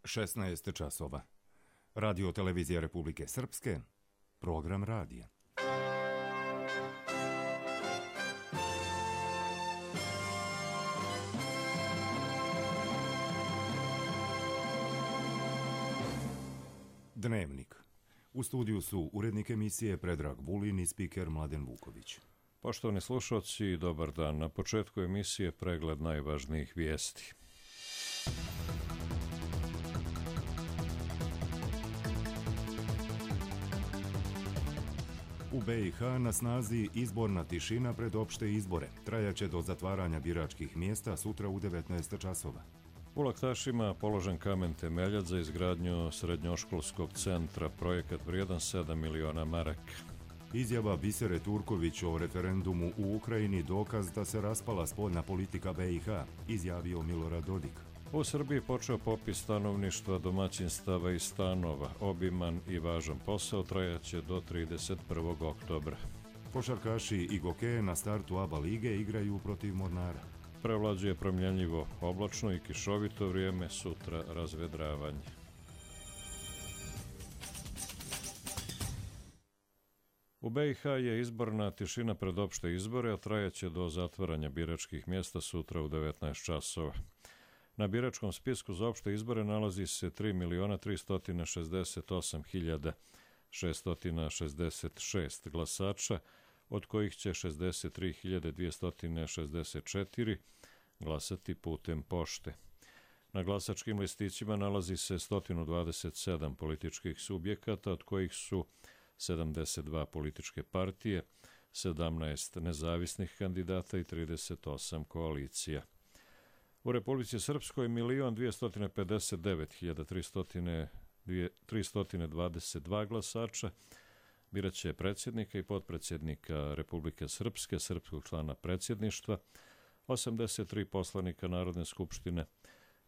16 časova. Radio Televizija Republike Srpske, program radija. Dnevnik. U studiju su urednik emisije Predrag Vulin i spiker Mladen Vuković. Poštovani slušalci, dobar dan. Na početku emisije pregled najvažnijih vijesti. U BiH na snazi izborna tišina pred opšte izbore. Trajaće do zatvaranja biračkih mjesta sutra u 19 časova. U Laktašima položen kamen temeljac za izgradnju srednjoškolskog centra, projekat vrijedan 7 miliona maraka. Izjava Bisere Turković o referendumu u Ukrajini dokaz da se raspala spoljna politika BiH, izjavio Milorad Dodik. U Srbiji počeo popis stanovništva, domaćinstava i stanova. Obiman i važan posao trajaće do 31. oktobra. Košarkaši i Gokeje na startu ABA lige igraju protiv Mornara. Prevlađuje promjenjivo oblačno i kišovito vrijeme, sutra razvedravanje. U BiH je izborna tišina pred opšte izbore, a trajaće do zatvaranja biračkih mjesta sutra u 19 časova. Na biračkom spisku za opšte izbore nalazi se 3.368.666 glasača, od kojih će 63.264 glasati putem pošte. Na glasačkim listićima nalazi se 127 političkih subjekata, od kojih su 72 političke partije, 17 nezavisnih kandidata i 38 koalicija. U Republici Srpskoj 1.259.322 glasača biraće predsjednika i potpredsjednika Republike Srpske, srpskog člana predsjedništva, 83 poslanika Narodne skupštine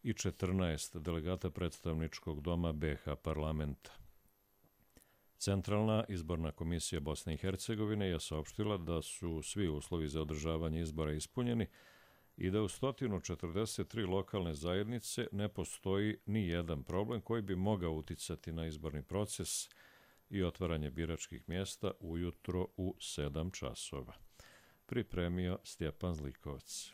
i 14 delegata predstavničkog doma BiH parlamenta. Centralna izborna komisija Bosne i Hercegovine je saopštila da su svi uslovi za održavanje izbora ispunjeni i da u 143 lokalne zajednice ne postoji ni jedan problem koji bi mogao uticati na izborni proces i otvaranje biračkih mjesta ujutro u 7 časova. Pripremio Stjepan Zlikovac.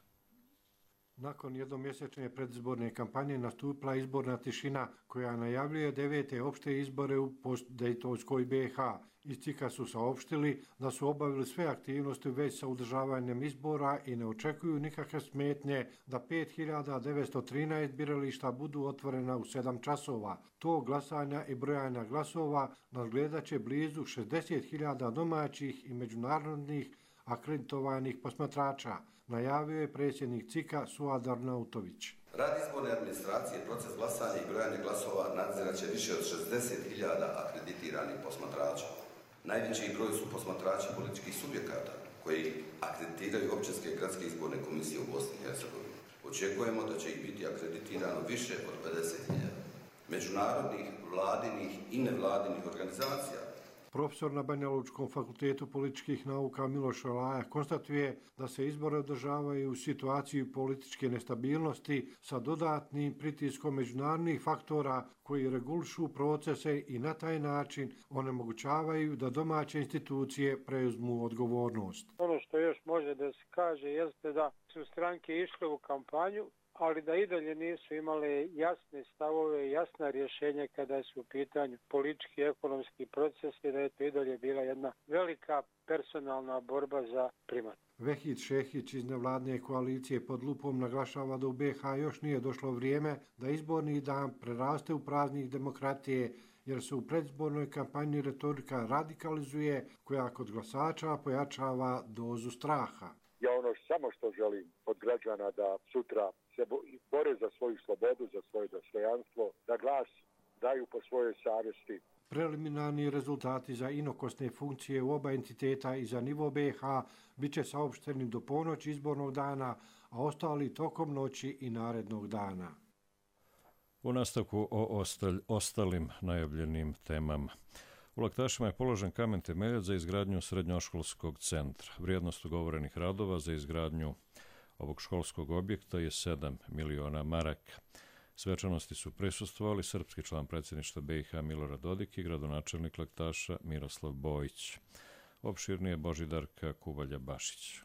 Nakon jednomjesečne predizborne kampanje nastupila izborna tišina koja najavljuje 9. opšte izbore u postdejtonskoj BiH. Iz CIK-a su saopštili da su obavili sve aktivnosti već sa održavanjem izbora i ne očekuju nikakve smetnje da 5.913 birališta budu otvorena u 7 časova. To glasanja i brojanja glasova nadgledat će blizu 60.000 domaćih i međunarodnih akreditovanih posmatrača, najavio je predsjednik CIK-a Suad Arnautović. Rad izborne administracije, proces glasanja i brojanja glasova nadzirat će više od 60.000 akreditiranih posmatrača. Najveći broj su posmatrači političkih subjekata koji akreditiraju općinske i gradske izborne komisije u Bosni i Hercegovini. Očekujemo da će ih biti akreditirano više od 50.000 međunarodnih, vladinih i nevladinih organizacija. Profesor na Banjalučkom fakultetu političkih nauka Miloš Olaja konstatuje da se izbore održavaju u situaciji političke nestabilnosti sa dodatnim pritiskom međunarodnih faktora koji regulišu procese i na taj način onemogućavaju da domaće institucije preuzmu odgovornost. Ono što još može da se kaže jeste da su stranke išle u kampanju, ali da i dalje nisu imale jasne stavove, jasna rješenja kada su u pitanju politički i ekonomski procesi, da je to i dalje bila jedna velika personalna borba za primat. Vehid Šehić iz nevladne koalicije pod lupom naglašava da u BiH još nije došlo vrijeme da izborni dan preraste u praznik demokratije, jer se u predizbornoj kampanji retorika radikalizuje koja kod glasača pojačava dozu straha. Ja samo što želim od građana da sutra se bore za svoju slobodu, za svoje dostojanstvo, da glas daju po svojoj savjesti. Preliminarni rezultati za inokosne funkcije u oba entiteta i za nivo BiH bit će saopšteni do ponoći izbornog dana, a ostali tokom noći i narednog dana. U nastavku o ostalim najavljenim temama. U Laktašima je položen kamen temeljac za izgradnju srednjoškolskog centra. Vrijednost ugovorenih radova za izgradnju ovog školskog objekta je 7 miliona maraka. Svečanosti su prisustvovali srpski član predsjedništva BiH Milorad Dodik i gradonačelnik Laktaša Miroslav Bojić. Opširnije Božidarka Kubalja-Bašić.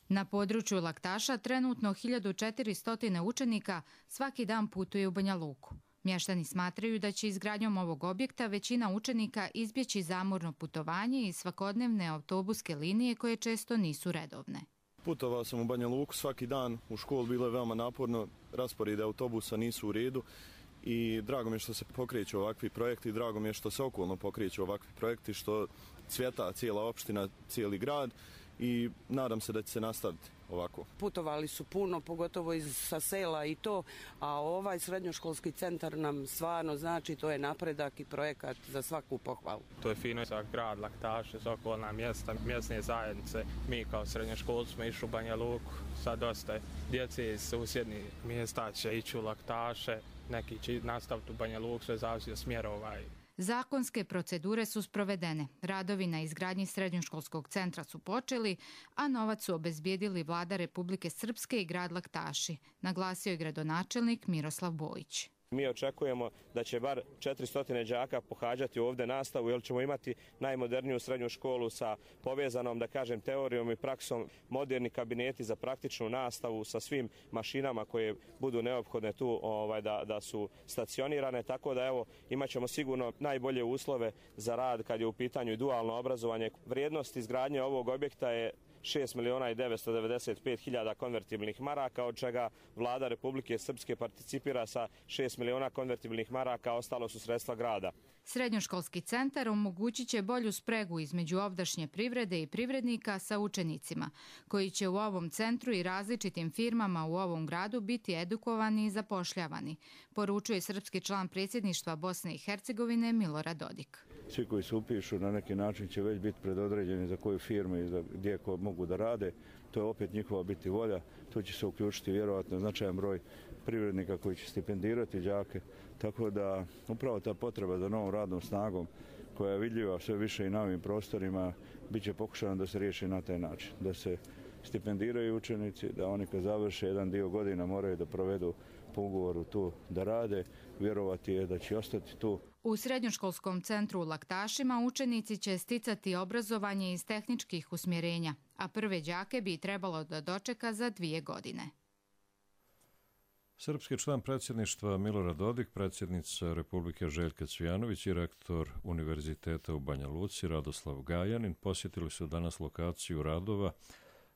Na području Laktaša trenutno 1400 učenika svaki dan putuje u Banja Luku. Mještani smatraju da će izgradnjom ovog objekta većina učenika izbjeći zamorno putovanje i svakodnevne autobuske linije koje često nisu redovne. Putovao sam u Banja Luku svaki dan, u školu bilo je veoma naporno, rasporede autobusa nisu u redu i drago mi je što se pokreću ovakvi projekti, drago mi je što se okolno pokreću ovakvi projekti, što cvjeta cijela opština, cijeli grad i nadam se da će se nastaviti ovako. Putovali su puno, pogotovo sa sela i to, a ovaj srednjoškolski centar nam stvarno znači, to je napredak i projekat za svaku pohvalu. To je fino za grad Laktaše, za okolna mjesta, mjesne zajednice. Mi kao srednjoškolci smo išli u Banja Luku, sad dosta djece iz susjednih mjesta će ići u Laktaše, neki će nastaviti u Banja Luku, sve zavisi od smjerova. Zakonske procedure su sprovedene, radovi na izgradnji srednjoškolskog centra su počeli, a novac su obezbijedili Vlada Republike Srpske i grad Laktaši, naglasio je gradonačelnik Miroslav Bojić. Mi očekujemo da će bar 400 đaka pohađati ovdje nastavu, jer ćemo imati najmoderniju srednju školu sa povezanom, da kažem, teorijom i praksom, moderni kabineti za praktičnu nastavu sa svim mašinama koje budu neophodne tu da su stacionirane, tako da evo imat ćemo sigurno najbolje uslove za rad kad je u pitanju dualno obrazovanje. Vrijednost izgradnje ovog objekta je 6.995.000 konvertibilnih maraka, od čega Vlada Republike Srpske participira sa 6 miliona konvertibilnih maraka, ostalo su sredstva grada. Srednjoškolski centar omogućit će bolju spregu između ovdašnje privrede i privrednika sa učenicima, koji će u ovom centru i različitim firmama u ovom gradu biti edukovani i zapošljavani, poručuje srpski član predsjedništva Bosne i Hercegovine Milorad Dodik. Svi koji se upišu na neki način će već biti predodređeni za koju firmu i gdje mogu da rade. To je opet njihova biti volja. Tu će se uključiti vjerovatno značajan broj privrednika koji će stipendirati đake. Tako da upravo ta potreba za novom radnom snagom koja je vidljiva sve više i na ovim prostorima bit će pokušano da se riješi na taj način. Da se stipendiraju učenici, da oni kad završe jedan dio godina moraju da provedu po ugovoru tu da rade. Vjerovati je da će ostati tu. U srednjoškolskom centru u Laktašima učenici će sticati obrazovanje iz tehničkih usmjerenja, a prve đake bi trebalo da dočeka za 2 godine. Srpski član predsjedništva Milorad Dodik, predsjednica Republike Željka Cvijanović i rektor Univerziteta u Banja Luci Radoslav Gajanin posjetili su danas lokaciju radova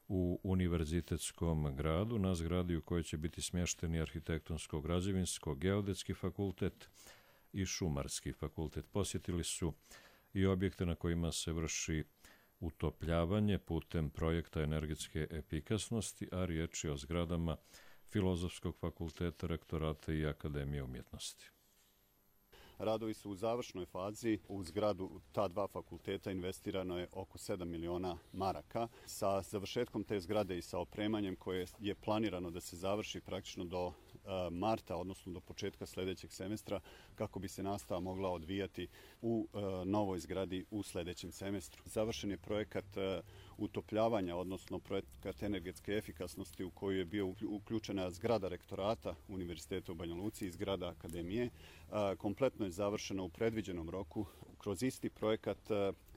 u Univerzitetskom gradu, na zgradi u kojoj će biti smješteni Arhitektonsko-građevinsko-geodetski fakultet i Šumarski fakultet. Posjetili su i objekte na kojima se vrši utopljavanje putem projekta energetske efikasnosti, a riječ je o zgradama Filozofskog fakulteta, rektorata i Akademije umjetnosti. Radovi su u završnoj fazi. U zgradu ta 2 fakulteta investirano je oko 7 miliona maraka. Sa završetkom te zgrade i sa opremanjem koje je planirano da se završi praktično do marta, odnosno do početka sljedećeg semestra, kako bi se nastava mogla odvijati u novoj zgradi u sljedećem semestru. Završen je projekat utopljavanja, odnosno projekat energetske efikasnosti u koju je bio uključena zgrada rektorata Univerziteta u Banja Luci i zgrada Akademije. Kompletno je završeno u predviđenom roku. Kroz isti projekat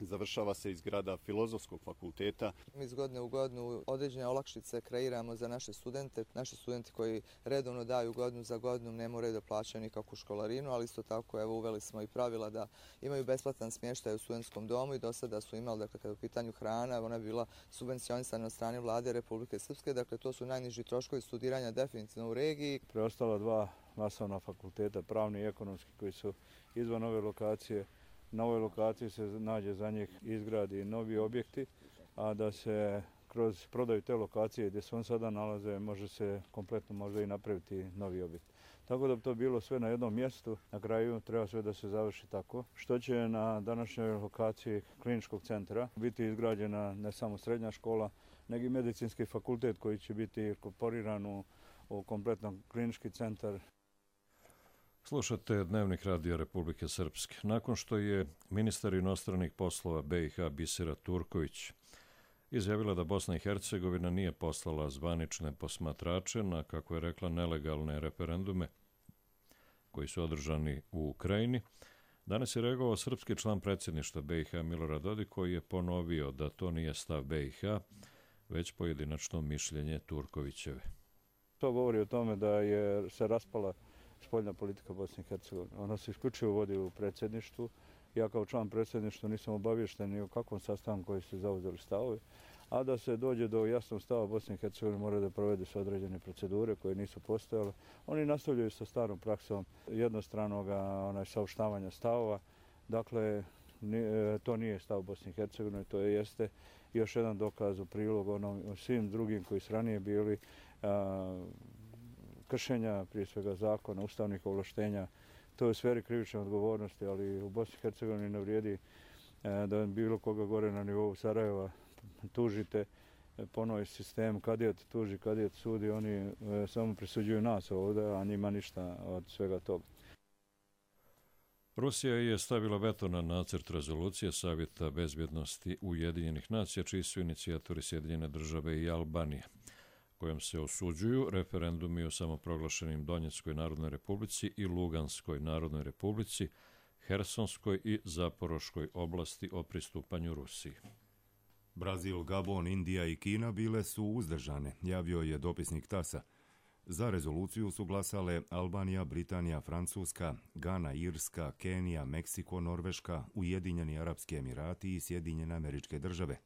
završava se i zgrada Filozofskog fakulteta. Mi iz godine u godinu određene olakšice kreiramo za naše studente. Naši studenti koji redovno daju godinu za godinu ne moraju da plaćaju nikakvu školarinu, ali isto tako uveli smo i pravila da imaju besplatan smještaj u studentskom domu i do sada su imali, dakle, kada je u pitanju hrana, ona je bila subvencionisana od strane Vlade Republike Srpske, dakle to su najniži troškovi studiranja definitivno u regiji. Preostala 2 masovna fakulteta, pravni i ekonomski, koji su izvan ove lokacije. Na ovoj lokaciji se nađe za njih izgradi novi objekti, a da se kroz prodaju te lokacije gdje se on sada nalaze može se kompletno možda i napraviti novi objekt. Tako da bi to bilo sve na jednom mjestu, na kraju treba sve da se završi tako, što će na današnjoj lokaciji kliničkog centra biti izgrađena ne samo srednja škola, nego i medicinski fakultet koji će biti inkorporiran u kompletan klinički centar. Slušate Dnevnik radija Republike Srpske. Nakon što je ministar inostranih poslova BiH Bisera Turković izjavila da Bosna i Hercegovina nije poslala zvanične posmatrače na, kako je rekla, nelegalne referendume koji su održani u Ukrajini, danas je reagovao srpski član predsjedništva BiH Milorad Dodik, koji je ponovio da to nije stav BiH, već pojedinačno mišljenje Turkovićeve. To govori o tome da je se raspala spoljna politika Bosne i Hercegovine. Ona se isključivo vodi u predsjedništvu. Ja kao član predsjedništva nisam obaviješten ni o kakvom sastanku koji ste zauzeli stavovi, a da se dođe do jasnog stava Bosne i Hercegovine mora da provede se određene procedure koje nisu postojale. Oni nastavljaju sa starom praksom jednostranog saopštavanja stavova. Dakle, to nije stav Bosne i Hercegovine, to jeste još jedan dokaz u prilog svim drugim koji su ranije bili kršenja, prije svega zakona, ustavnih ovlaštenja. To je u sferi krivične odgovornosti, ali u Bosni i Hercegovini ne vrijedi da bilo koga gore na nivou Sarajeva tužite po novi sistem, kadijat tuži, kadijat sudi, oni samo presuđuju nas ovdje, a njima ništa od svega toga. Rusija je stavila veto na nacrt rezolucije Savjeta bezbjednosti Ujedinjenih nacija, čiji su inicijatori Sjedinjene države i Albanija, kojom se osuđuju referendumi o samoproglašenim Donjeckoj narodnoj republici i Luganskoj narodnoj republici, Hersonskoj i Zaporoškoj oblasti o pristupanju Rusiji. Brazil, Gabon, Indija i Kina bile su uzdržane, javio je dopisnik TAS-a. Za rezoluciju su glasale Albanija, Britanija, Francuska, Gana, Irska, Kenija, Meksiko, Norveška, Ujedinjeni Arapski Emirati i Sjedinjene Američke Države.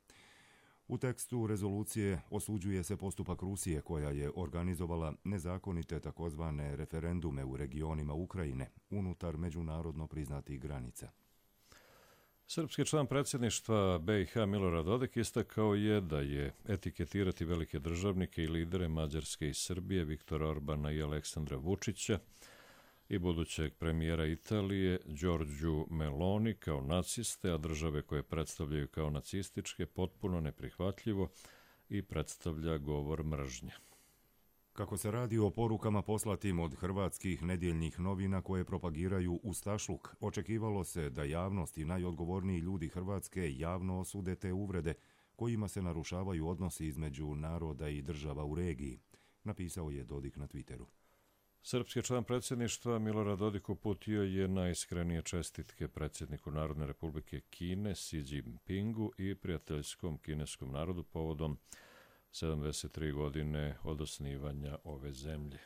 U tekstu rezolucije osuđuje se postupak Rusije koja je organizovala nezakonite takozvane referendume u regionima Ukrajine unutar međunarodno priznatih granica. Srpski član predsjedništva BiH Milorad Dodik istakao je da je etiketirati velike državnike i lidere Mađarske i Srbije, Viktora Orbana i Aleksandra Vučića i budućeg premijera Italije Giorgiu Meloni kao naciste, a države koje predstavljaju kao nacističke potpuno neprihvatljivo i predstavlja govor mržnje. Kako se radi o porukama poslatim od hrvatskih nedjeljnih novina koje propagiraju ustašluk, očekivalo se da javnost i najodgovorniji ljudi Hrvatske javno osude te uvrede kojima se narušavaju odnosi između naroda i država u regiji, napisao je Dodik na Twitteru. Srpski član predsjedništva Milorad Dodik uputio je najiskrenije čestitke predsjedniku Narodne republike Kine Xi Jinpingu i prijateljskom kineskom narodu povodom 73 godine od osnivanja ove zemlje.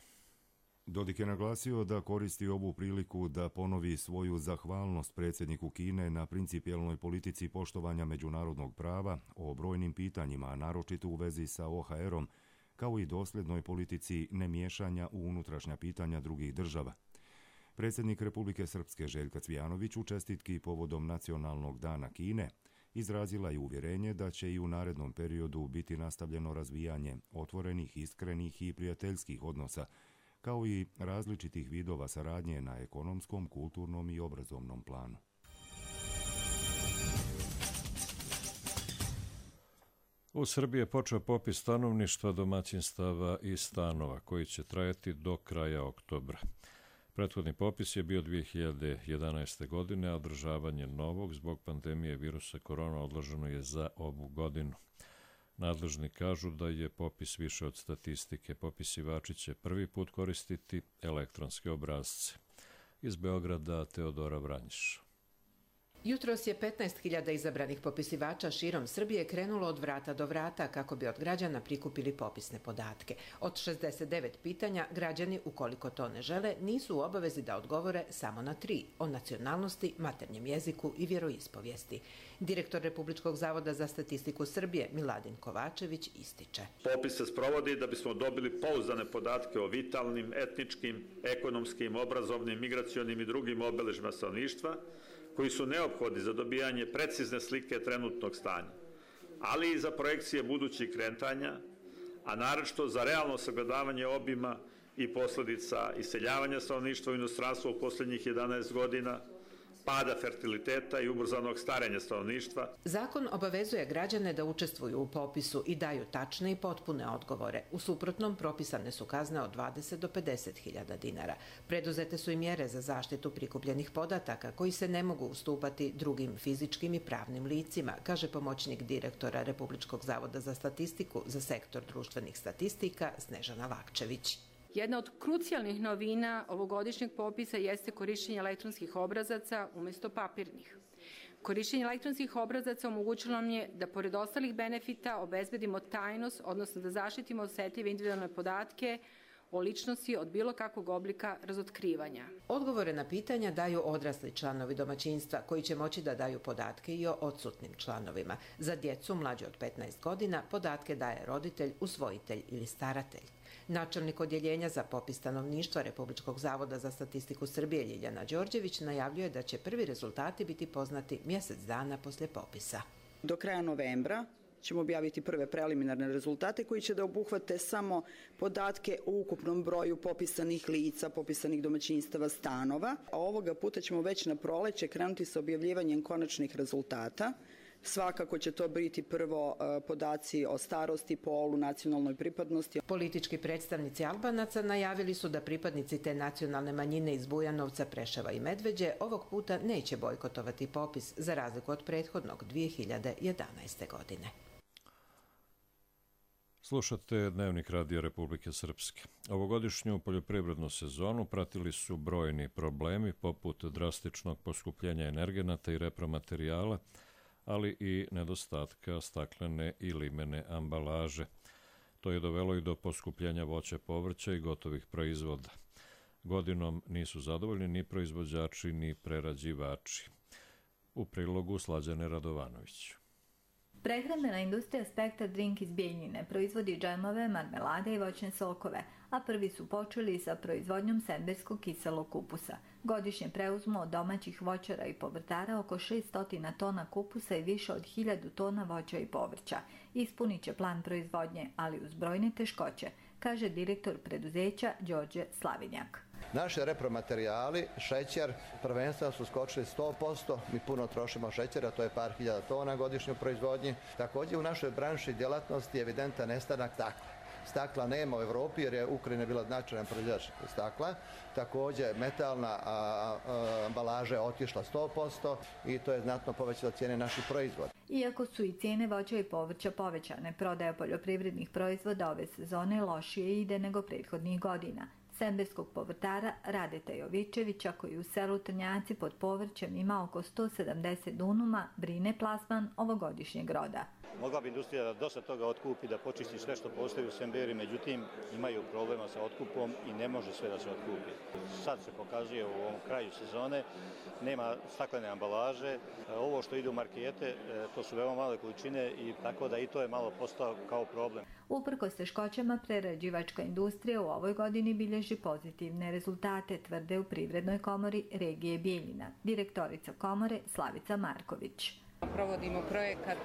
Dodik je naglasio da koristi ovu priliku da ponovi svoju zahvalnost predsjedniku Kine na principijelnoj politici poštovanja međunarodnog prava o brojnim pitanjima, a naročito u vezi sa OHR-om, kao i dosljednoj politici nemiješanja u unutrašnja pitanja drugih država. Predsjednik Republike Srpske Željka Cvijanović u čestitki povodom Nacionalnog dana Kine izrazila je uvjerenje da će i u narednom periodu biti nastavljeno razvijanje otvorenih, iskrenih i prijateljskih odnosa, kao i različitih vidova saradnje na ekonomskom, kulturnom i obrazovnom planu. U Srbiji je počeo popis stanovništva, domaćinstava i stanova, koji će trajati do kraja oktobra. Prethodni popis je bio 2011. godine, a održavanje novog zbog pandemije virusa korona odloženo je za ovu godinu. Nadležni kažu da je popis više od statistike. Popisivači će prvi put koristiti elektronske obrasce. Iz Beograda Teodora Vranjiš. Jutros je 15.000 izabranih popisivača širom Srbije krenulo od vrata do vrata kako bi od građana prikupili popisne podatke. Od 69 pitanja, građani, ukoliko to ne žele, nisu u obavezi da odgovore samo na 3, o nacionalnosti, maternjem jeziku i vjeroispovijesti. Direktor Republičkog zavoda za statistiku Srbije, Miladin Kovačević, ističe. Popis se sprovodi da bismo dobili pouzdane podatke o vitalnim, etničkim, ekonomskim, obrazovnim, migracionim i drugim obeležjima stanovništva, koji su neophodni za dobijanje precizne slike trenutnog stanja, ali i za projekcije budućih kretanja, a naročito za realno sagledavanje obima i posljedica iseljavanja stanovništva u inostranstvo u posljednjih 11 godina, pada fertiliteta i ubrzanog starenja stanovništva. Zakon obavezuje građane da učestvuju u popisu i daju tačne i potpune odgovore. U suprotnom, propisane su kazne od 20 do 50.000 dinara. Preduzete su i mjere za zaštitu prikupljenih podataka koji se ne mogu ustupati drugim fizičkim i pravnim licima, kaže pomoćnik direktora Republičkog zavoda za statistiku za sektor društvenih statistika Snežana Lakčević. Jedna od krucijalnih novina ovogodišnjeg popisa jeste korištenje elektronskih obrazaca umjesto papirnih. Korištenje elektronskih obrazaca omogućilo nam je da pored ostalih benefita obezbedimo tajnost, odnosno da zaštitimo osetljive individualne podatke o ličnosti od bilo kakvog oblika razotkrivanja. Odgovore na pitanja daju odrasli članovi domaćinstva koji će moći da daju podatke i o odsutnim članovima. Za djecu mlađe od 15 godina podatke daje roditelj, usvojitelj ili staratelj. Načelnik odjeljenja za popis stanovništva Republičkog zavoda za statistiku Srbije Ljiljana Đorđević najavljuje da će prvi rezultati biti poznati mjesec dana poslije popisa. Do kraja novembra ćemo objaviti prve preliminarne rezultate koji će da obuhvate samo podatke o ukupnom broju popisanih lica, popisanih domaćinstava, stanova. A ovoga puta ćemo već na proleće krenuti sa objavljivanjem konačnih rezultata. Svakako će to biti prvo podaci o starosti, polu, nacionalnoj pripadnosti. Politički predstavnici Albanaca najavili su da pripadnici te nacionalne manjine iz Bujanovca, Preševa i Medveđe ovog puta neće bojkotovati popis za razliku od prethodnog 2011. godine. Slušate Dnevnik Radija Republike Srpske. Ovogodišnju poljoprivrednu sezonu pratili su brojni problemi poput drastičnog poskupljenja energenata i repromaterijala, ali i nedostatka staklene i limene ambalaže. To je dovelo i do poskupljenja voća, povrća i gotovih proizvoda. Godinom nisu zadovoljni ni proizvođači ni prerađivači. U prilogu Slađane Radovanović. Prehrambena industrija Spektar Drink iz Bijeljine proizvodi džemove, marmelade i voćne sokove, a prvi su počeli sa proizvodnjom semberskog kiselog kupusa. Godišnje preuzmu od domaćih voćara i povrtara oko 600 tona kupusa i više od 1000 tona voća i povrća. Ispunit će plan proizvodnje, ali uz brojne teškoće, kaže direktor preduzeća Đorđe Slavinjak. Naši repromaterijali, šećer, prvenstveno su skočili 100%, mi puno trošimo šećera, to je par hiljada tona godišnje u proizvodnji. Također u našoj branši djelatnosti je evidentan nestanak stakla. Stakla nema u Evropi jer je Ukrajina bila značajan proizvođač stakla. Također metalna ambalaža je otišla 100% i to je znatno povećalo cijene naših proizvoda. Iako su i cijene voća i povrća povećane, prodaja poljoprivrednih proizvoda ove sezone lošije ide nego prethodnih godina. Semberskog povrtara Radeta Jovičevića, koji u selu Trnjaci pod povrćem ima oko 170 dunuma, brine plasman ovogodišnjeg roda. Mogla bi industrija da dosta toga otkupi, da počisti sve što postoji u Semberi, međutim imaju problema sa otkupom i ne može sve da se otkupi. Sad se pokazuje u ovom kraju sezone, nema staklene ambalaže, ovo što ide u markete, to su veoma male količine i tako da i to je malo postao kao problem. Uprkos teškoćama, prerađivačka industrija u ovoj godini bilježi pozitivne rezultate, tvrde u Privrednoj komori regije Bijeljina, direktorica komore Slavica Marković. Provodimo projekat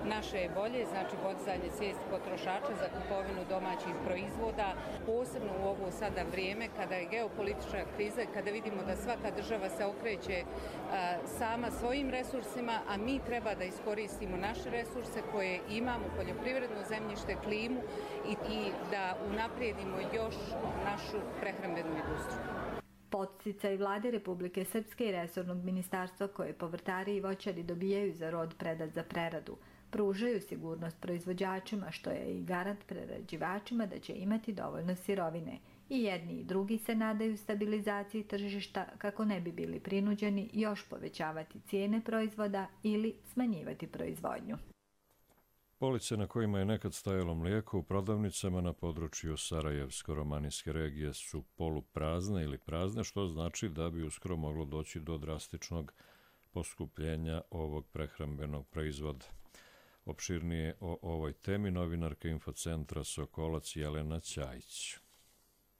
Naše je bolje, znači podizanje svijesti potrošača za kupovinu domaćih proizvoda, posebno u ovo sada vrijeme kada je geopolitička kriza i kada vidimo da svaka država se okreće sama svojim resursima, a mi treba da iskoristimo naše resurse koje imamo, poljoprivredno zemljište, klimu i da unaprijedimo još našu prehrambenu industriju. Podsticaj Vlade Republike Srpske i resornog ministarstva koje povrtari i voćari dobijaju za rod predat za preradu, pružaju sigurnost proizvođačima, što je i garant prerađivačima da će imati dovoljno sirovine. I jedni i drugi se nadaju stabilizaciji tržišta kako ne bi bili prinuđeni još povećavati cijene proizvoda ili smanjivati proizvodnju. Police na kojima je nekad stajalo mlijeko u prodavnicama na području Sarajevsko-romanijske regije su poluprazne ili prazne, što znači da bi uskoro moglo doći do drastičnog poskupljenja ovog prehrambenog proizvoda. Opširnije o ovoj temi novinarka Infocentra Sokolac Jelena Ćajić.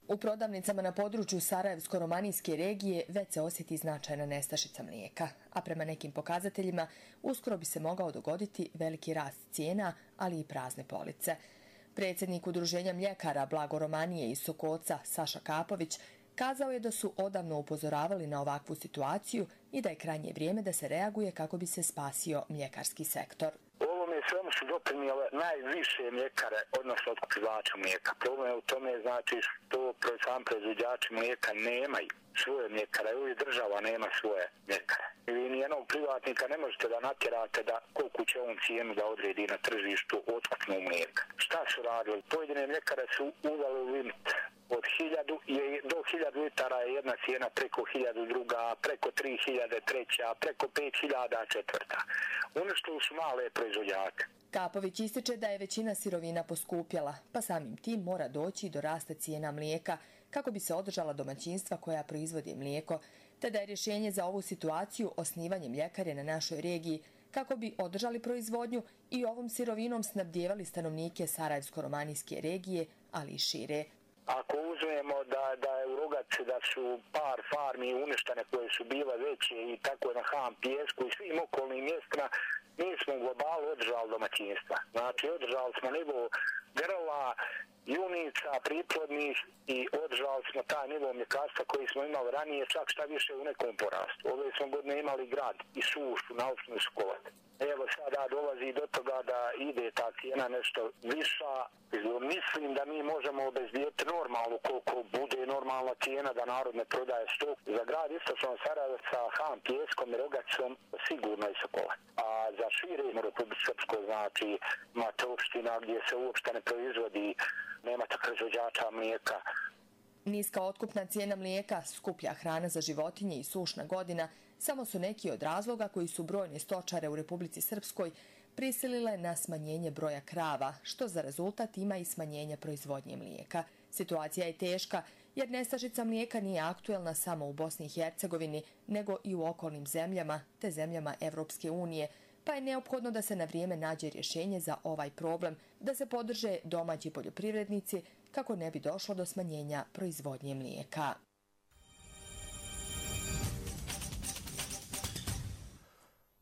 U prodavnicama na području Sarajevsko-romanijske regije već se osjeti značajna nestašica mlijeka, a prema nekim pokazateljima uskoro bi se mogao dogoditi veliki rast cijena, ali i prazne police. Predsjednik Udruženja mljekara Blago Romanije iz Sokoca Saša Kapović kazao je da su odavno upozoravali na ovakvu situaciju i da je krajnje vrijeme da se reaguje kako bi se spasio mljekarski sektor. Svemu su doprinijele najviše mljekare, odnosno otkupljivača mlijeka. Problem je u tome znači što sam proizvođači mlijeka nemaju svoje mljekare, ili država nema svoje mljekare. Vi nijednog privatnika ne možete da natjerate da koliko će on cijenu da odredi na tržištu otkupnu mlijeka. Šta su radili? Pojedine mljekare su uveli limit Od 1000 do 1000 litara je jedna cijena, preko 1000 druga, preko 3000 treća, preko 5000 četvrta. Uništili su male proizvođače. Kapović ističe da je većina sirovina poskupjela, pa samim tim mora doći do rasta cijena mlijeka kako bi se održala domaćinstva koja proizvode mlijeko, te da je rješenje za ovu situaciju osnivanje mljekare na našoj regiji kako bi održali proizvodnju i ovom sirovinom snabdijevali stanovnike Sarajevsko-romanijske regije, ali i šire. Ako uzmemo da je u Rogaci da su par farmi uništene koje su bile veće i tako na Ham Pijesku i svim okolnim mjestima, mi smo u globalu održali domaćinstva. Znači održali smo nivo grla, junica, priplodnih i održali smo taj nivo mljekarstva koji smo imali ranije, čak šta više u nekom porastu. Ove smo godine imali grad i sušu na osnovu škole. Evo sada dolazi do toga da ide ta cijena nešto viša. Mislim da mi možemo obezbijeti normalnu koliko bude normalna cijena da narod ne prodaje stoku. Za grad istočnog Sarajeva sa Ham Pijeskom i Rogacom sigurno i Sokola. A za šire Republike Srpsko, znači imate opština gdje se uopšte ne proizvodi, nemate proizvođača mlijeka. Niska otkupna cijena mlijeka, skuplja hrana za životinje i sušna godina samo su neki od razloga koji su brojne stočare u Republici Srpskoj prisilile na smanjenje broja krava, što za rezultat ima i smanjenje proizvodnje mlijeka. Situacija je teška jer nestašica mlijeka nije aktuelna samo u Bosni i Hercegovini, nego i u okolnim zemljama te zemljama Evropske unije, pa je neophodno da se na vrijeme nađe rješenje za ovaj problem, da se podrže domaći poljoprivrednici kako ne bi došlo do smanjenja proizvodnje mlijeka.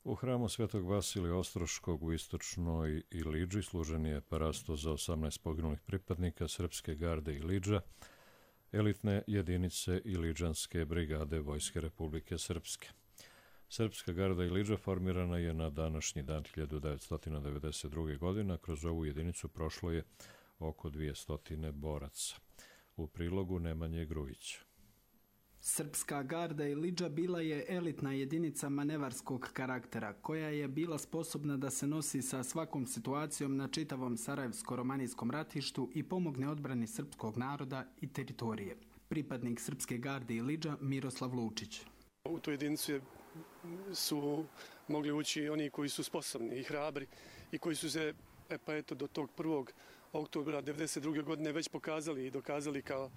U hramu Svetog Vasilija Ostroškog u istočnoj Ilidži služen je parasto za 18 poginulih pripadnika Srpske garde Ilidža, elitne jedinice Ilidžanske brigade Vojske Republike Srpske. Srpska garda Ilidža formirana je na današnji dan 1992. godine, kroz ovu jedinicu prošlo je oko 200 boraca. U prilogu Nemanje Grujića. Srpska garda Ilidža bila je elitna jedinica manevarskog karaktera, koja je bila sposobna da se nosi sa svakom situacijom na čitavom Sarajevsko-romanijskom ratištu i pomogne odbrani srpskog naroda i teritorije. Pripadnik Srpske garde Ilidža Miroslav Lučić. U tu jedinicu su mogli ući oni koji su sposobni i hrabri i koji su se do tog 1. oktobra 1992. godine već pokazali i dokazali kao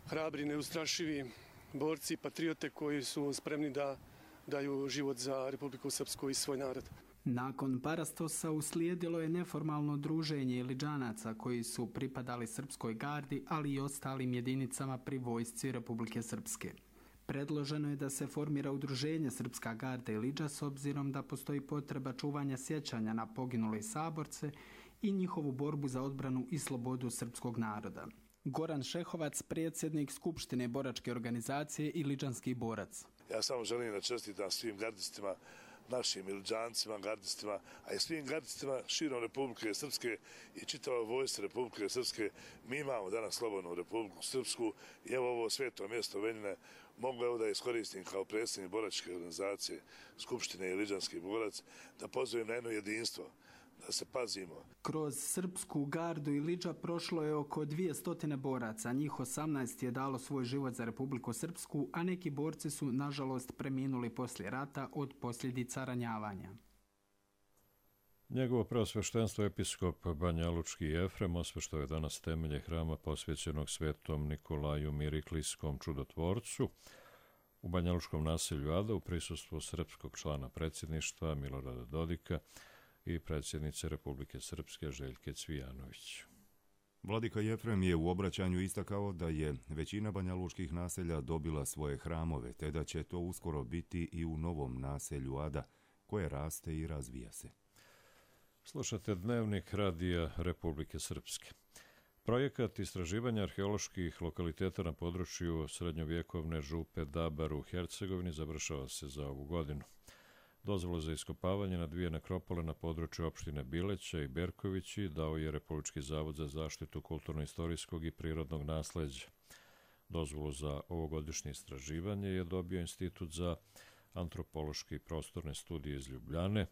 hrabri, neustrašivi borci, patriote koji su spremni da daju život za Republiku Srpsku i svoj narod. Nakon Parastosa uslijedilo je neformalno druženje Ilidžanaca koji su pripadali Srpskoj gardi, ali i ostalim jedinicama pri vojsci Republike Srpske. Predloženo je da se formira udruženje Srpska garda Ilidža s obzirom da postoji potreba čuvanja sjećanja na poginule saborce i njihovu borbu za odbranu i slobodu srpskog naroda. Goran Šehovac, predsjednik Skupštine boračke organizacije Ilidžanski borac. Ja samo želim da čestitam svim gardistima, našim Ilidžancima, gardistima, a i svim gardistima širom Republike Srpske i čitavoj vojsci Republike Srpske. Mi imamo danas slobodnu Republiku Srpsku i evo ovo sveto mjesto Veljine mogu evo da iskoristim kao predsjednik boračke organizacije Skupštine Ilidžanski borac da pozovem na jedno jedinstvo, da se pazimo. Kroz Srpsku gardu Ilidža prošlo je oko 200 boraca, njih 18 je dalo svoj život za Republiku Srpsku, a neki borci su, nažalost, preminuli poslije rata od posljedica ranjavanja. Njegovo preosveštenstvo episkop Banjalučki Jefrem osveštao je danas temelje hrama posvećenog svetom Nikolaju Miriklijskom čudotvorcu u Banjalučkom naselju Ada u prisustvu srpskog člana predsjedništva Milorada Dodika i predsjednice Republike Srpske Željke Cvijanović. Vladika Jefrem je u obraćanju istakao da je većina banjalučkih naselja dobila svoje hramove, te da će to uskoro biti i u novom naselju Ada, koje raste i razvija se. Slušate Dnevnik Radija Republike Srpske. Projekat istraživanja arheoloških lokaliteta na području srednjovjekovne župe Dabar u Hercegovini završava se za ovu godinu. Dozvolu za iskopavanje na 2 nekropole na području opštine Bileća i Berkovići dao je Republički zavod za zaštitu kulturno-istorijskog i prirodnog nasleđa. Dozvolu za ovogodišnje istraživanje je dobio Institut za antropološke i prostorne studije iz Ljubljane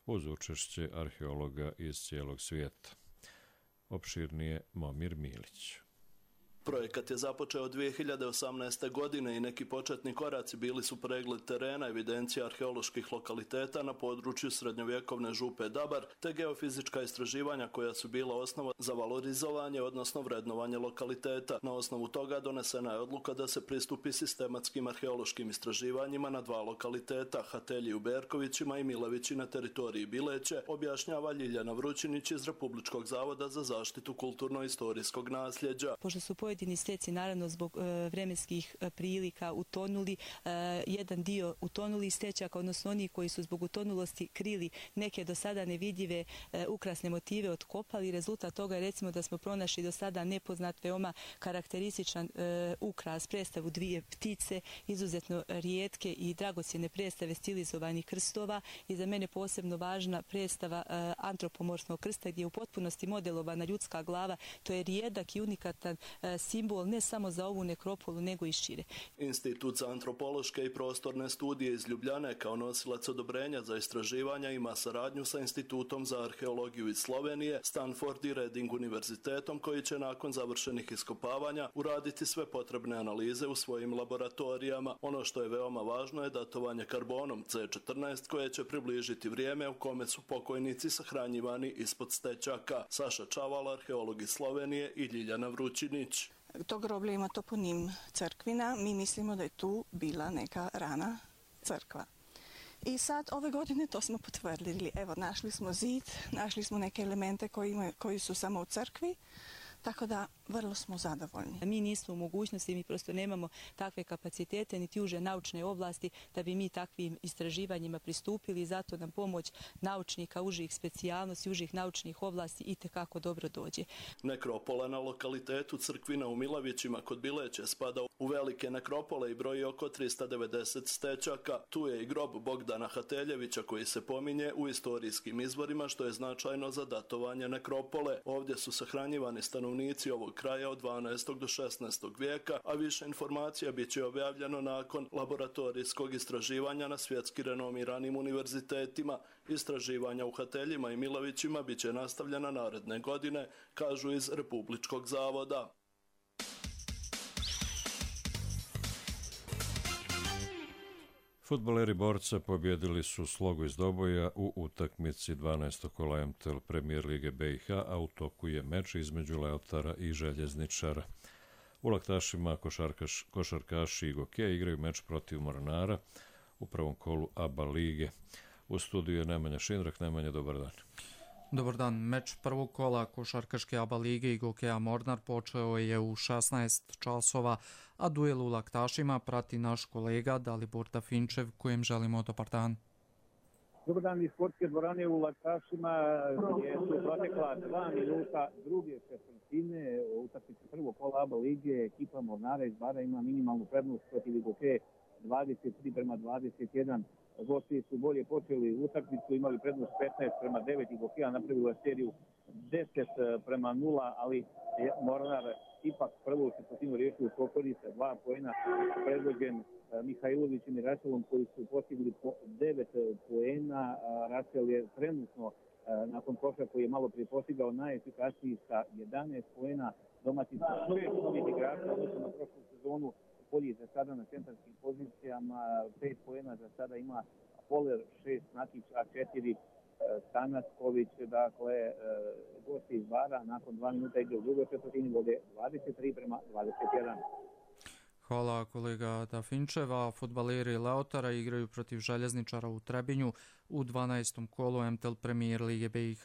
uz učešće arheologa iz cijelog svijeta. Opširnije Momir Milić. Projekat je započeo 2018. godine i neki početni koraci bili su pregled terena, evidencija arheoloških lokaliteta na području srednjovjekovne župe Dabar, te geofizička istraživanja koja su bila osnova za valorizovanje, odnosno vrednovanje lokaliteta. Na osnovu toga donesena je odluka da se pristupi sistematskim arheološkim istraživanjima na 2 lokaliteta, Hatelji u Berkovićima i Milevići na teritoriji Bileće, objašnjava Ljiljana Vrućinić iz Republičkog zavoda za zaštitu kulturno-istorijskog nasljeđa. Pošto su pojedini steci naravno zbog vremenskih prilika utonuli, jedan dio utonuli stečaka, odnosno oni koji su zbog utonulosti krili neke do sada nevidljive ukrasne motive otkopali. Rezultat toga je recimo da smo pronašli do sada nepoznat, veoma karakterističan ukras, predstavu 2 ptice, izuzetno rijetke i dragocjene predstave stilizovanih krstova i za mene posebno važna predstava antropomorfnog krsta gdje je u potpunosti modelovana ljudska glava. To je rijedak i unikatan simbol ne samo za ovu nekropolu nego i šire. Institut za antropološke i prostorne studije iz Ljubljane kao nosilac odobrenja za istraživanja ima saradnju sa Institutom za arheologiju iz Slovenije, Stanford i Reading univerzitetom koji će nakon završenih iskopavanja uraditi sve potrebne analize u svojim laboratorijama. Ono što je veoma važno je datovanje karbonom C14 koje će približiti vrijeme u kome su pokojnici sahranjivani ispod stečaka. Saša Čaval, arheolog iz Slovenije i Ljiljana Vrućinić. To groblje ima toponim crkvina. Mi mislimo da je tu bila neka rana crkva. I sad ove godine to smo potvrdili. Evo, našli smo zid, našli smo neke elemente koji su samo u crkvi. Tako da vrlo smo zadovoljni. Mi nismo u mogućnosti, mi prosto nemamo takve kapacitete niti uže naučne oblasti da bi mi takvim istraživanjima pristupili i zato nam pomoć naučnika užih specijalnosti, užih naučnih oblasti itekako dobro dođe. Nekropola na lokalitetu Crkvina u Milevićima kod Bileće spada u velike nekropole i broji oko 390 stečaka. Tu je i grob Bogdana Hateljevića koji se pominje u istorijskim izvorima što je značajno za datovanje nekropole. Ovdje su sahranjivani stanovnici ovog kraja od 12. do 16. vijeka, a više informacija bit će objavljeno nakon laboratorijskog istraživanja na svjetski renomiranim univerzitetima. Istraživanja u Hateljima i Milevićima bit će nastavljena naredne godine, kažu iz Republičkog zavoda. Fudbaleri Borca pobjedili su Slogu iz Doboja u utakmici 12. kola MTL Premier Lige BiH, a u toku je meč između Leotara i Željezničara. U Laktašima košarkaši i Gokeja igraju meč protiv Mornara u prvom kolu ABA lige. U studiju je Nemanja Šindrak. Nemanja, dobar dan. Dobar dan. Meč prvog kola košarkaške ABA lige i Gokeja Mornar počeo je u 16 časova, a duel u Laktašima prati naš kolega Dalibor Dafinčev, kojem želimo dobar dan. Dobar dan iz sportske dvorane u Laktašima gdje su protekla 2 minuta druge četvrtine utakmice prvog kola ABA lige. Ekipa Mornara iz Bara ima minimalnu prednost protiv Gokeje 23-21. Gosti su bolje počeli utakmicu, imali prednost 15-9 i Gokeja napravila seriju 10-0, ali je Mornar ipak prvu četvrtinu riješio u Kokori sa 2 poena, predvođen Mihajlovićem i Raselom koji su postigli po 9 poena. Rasel je trenutno nakon koša koji je malo prije postigao najefikasniji sa 11 poena, domaći sa 6 novih igrača odnosno na prošlu sezonu. Polji za sada na centrarskim pozicijama, 5 poena za sada ima Poler, 6 Nakić, a 4 Stanasković. Dakle, gosti iz Bara nakon 2 minuta igre u drugoj četvrtini vode 23-21. Hvala kolega Dafinčeva. Fudbaleri Leotara igraju protiv Željezničara u Trebinju u 12. kolu MTL Premier Lige BiH.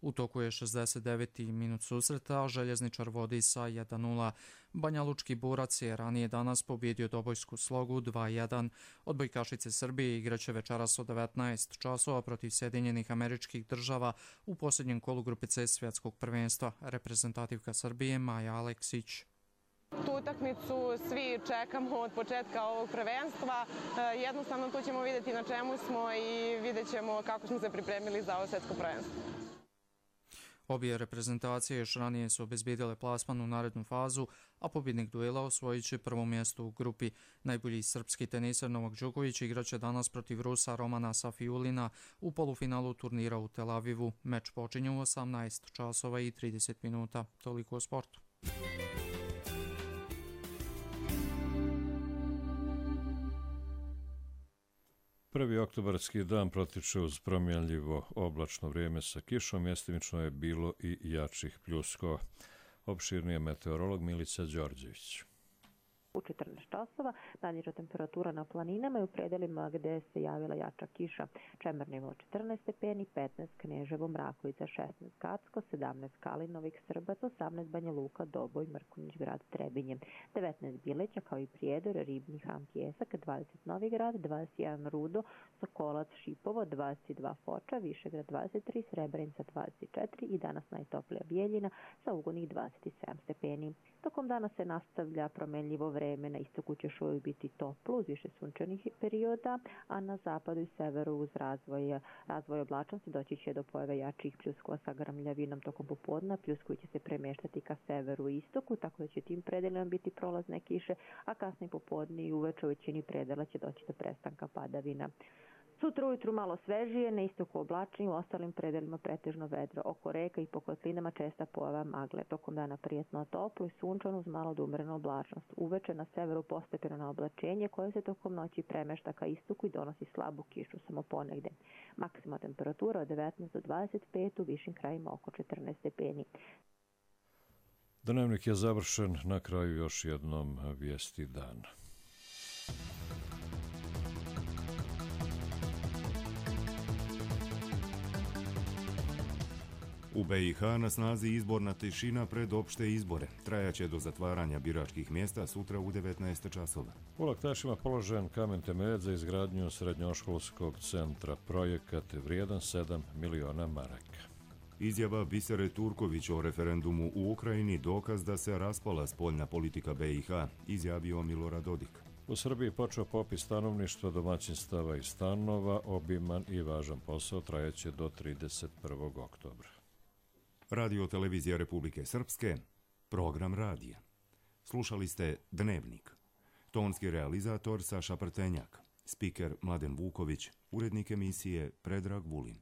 U toku je 69. minut susreta, a Željezničar vodi sa 1-0. Banjalučki Borac je ranije danas pobjedio Dobojsku Slogu 2-1. Odbojkašice Srbije igraće večeras od 19 časova protiv Sjedinjenih Američkih Država u posljednjem kolu grupe C svjetskog prvenstva. Reprezentativka Srbije Maja Aleksić. Tu utakmicu svi čekamo od početka ovog prvenstva. Jednostavno tu ćemo vidjeti na čemu smo i vidjet ćemo kako smo se pripremili za ovo svjetsko prvenstvo. Obje reprezentacije još ranije su obezbijedile plasman u narednu fazu, a pobjednik duela osvojit će prvo mjesto u grupi. Najbolji srpski teniser Novak Đoković igraće danas protiv Rusa Romana Safiulina u polufinalu turnira u Tel Avivu. Meč počinje u 18 časova i 30 minuta. Toliko o sportu. Prvi oktobarski dan protiče uz promjenljivo oblačno vrijeme sa kišom, mjestimično je bilo i jačih pljuskova. Opširnije meteorolog Milica Đorđević. U 14 časova najniža temperatura na planinama i u predelima gdje se javila jača kiša. Čemer nivo 14 stepeni, 15 Kneževo, Mrakovica, 16 Kacko, 17 Kalinovik, Srbac, 18 Banja Luka, Doboj, Mrkonjić, grad Trebinje, 19 Bileća kao i Prijedor, Ribnji, Han, Pjesak, 20 Novigrad, 21 Rudo, Sokolac, Šipovo, 22 Foča, Višegrad 23, Srebrenica 24 i danas najtoplija Bijeljina sa ugodnih 27 stepeni. Tokom dana se nastavlja promenljivo vreme, na istoku će još uvijek biti toplo uz više sunčanih perioda, a na zapadu i severu uz razvoj oblačnosti doći će do pojave jačih pljuskova sa grmljavinom tokom popodna. Pljuskovi će se premještati ka severu i istoku, tako da će tim predelima biti prolazne kiše, a kasnije popodne i uveče u većini predela će doći do prestanka padavina. Sutra ujutru malo svežije, na istoku oblačni, u ostalim predelima pretežno vedro. Oko reka i po kotlinama česta pojava magle. Tokom dana prijetno toplo i sunčano uz malo umjerenu oblačnost. Uveče na severu postepeno na oblačenje koje se tokom noći premešta ka istoku i donosi slabu kišu samo ponegde. Maksimalna temperatura od 19 do 25, u višim krajima oko 14 stepeni. Dnevnik je završen, na kraju još jednom vijesti dana. U BiH na snazi izborna tišina pred opšte izbore. Trajaće do zatvaranja biračkih mjesta sutra u 19 časova. U Laktašima položen kamen temeljac za izgradnju srednjoškolskog centra. Projekat vrijedan 7 miliona maraka. Izjava Bisere Turković o referendumu u Ukrajini dokaz da se raspala spoljna politika BiH, izjavio Milorad Dodik. U Srbiji počeo popis stanovništva, domaćinstava i stanova, obiman i važan posao, trajaće do 31. oktobra. Radio Televizija Republike Srpske, program radija. Slušali ste Dnevnik. Tonski realizator Saša Prtenjak, spiker Mladen Vuković, urednik emisije Predrag Vulin.